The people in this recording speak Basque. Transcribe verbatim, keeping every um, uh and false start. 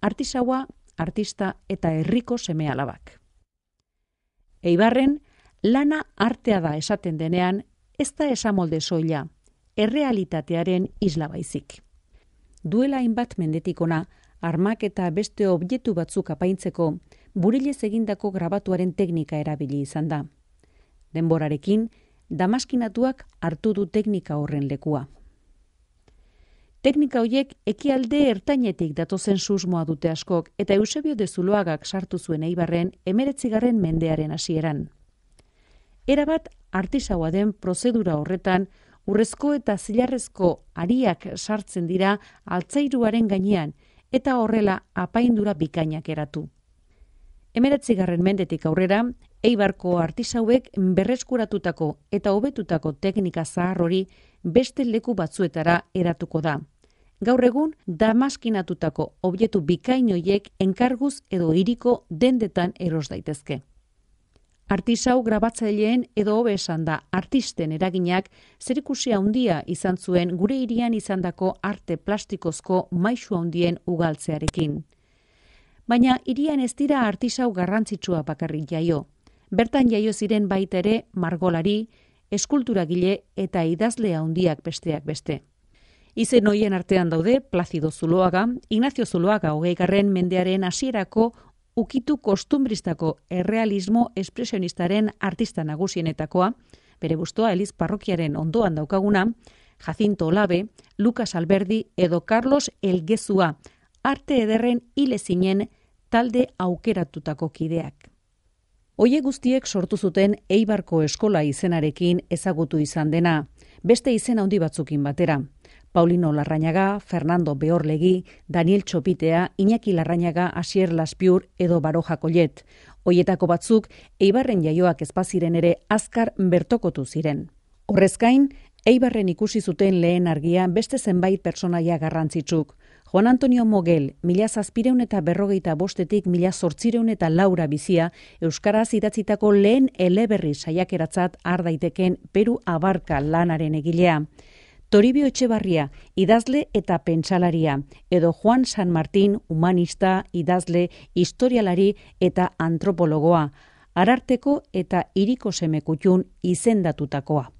artisaua, artista eta herriko seme-alabak. Eibarren, lana artea da esaten denean, ez da esamolde soila, errealitatearen isla baizik. Duela hainbat mendetik ona, armak eta beste objektu batzuk apaintzeko, burilez egindako grabatuaren teknika erabili izan da. Denborarekin, damaskinatuak hartu du teknika horren lekua. Teknika horiek ekialde ertainetik datozen susmoa dute askok eta Eusebio de Zuloagak sartu zuen Eibarren emeretzigarren mendearen hasieran. Erabat artisaua den prozedura horretan, urrezko eta zilarrezko ariak sartzen dira altzairuaren gainean eta horrela apaindura bikainak eratu. Emeretzigarren mendetik aurrera, Eibarko artisauek berreskuratutako eta hobetutako teknika zahar hori beste leku batzuetara eratuko da. Gaur egun, damaskinatutako objektu bikain horiek enkarguz edo hiriko dendetan eros daitezke. Artisau grabatzaileen edo hobe esan da artisten eraginak zerikusia handia izan zuen gure hirian izandako arte plastikozko maisu handien ugaltzearekin. Baina hirian ez dira artisau garrantzitsua bakarrik jaio. Bertan jaio ziren baita ere margolari, eskulturagile eta idazle handiak besteak beste. Izen hoien artean daude Plazido Zuloaga, Ignacio Zuloaga hogeigarren mendearen hasierako ukitu kostumbristako errealismo espresionistaren artista nagusienetakoa, bere bustoa Eliz parrokiaren ondoan daukaguna, Jacinto Olabe, Lucas Alberdi edo Carlos Elgezua, arte ederren hile zinen talde aukeratutako kideak. Hoiek guztiek sortu zuten Eibarko eskola izenarekin ezagutu izan dena, beste izen handi batzukin batera. Paulino Larrañaga, Fernando Beorlegi, Daniel Txopitea, Iñaki Larrañaga, Asier Laspiur edo Baroja Collet. Hoietako batzuk Eibarren jaioak ezpaziren ere azkar bertokotu ziren. Horrezkain, Eibarren ikusi zuten lehen argia beste zenbait pertsonaia garrantzitsuk. Juan Antonio Mogel, mila zazpireun eta berrogeita bostetik mila zortzireun eta laura bizia, euskaraz idatzitako lehen eleberri saiakeratzat har daiteken Peru Abarka lanaren egilea. Toribio Etxebarria, idazle eta pentsalaria, edo Juan San Martín, humanista, idazle, historialari eta antropologoa, Ararteko eta hiriko semekutxun izendatutakoa.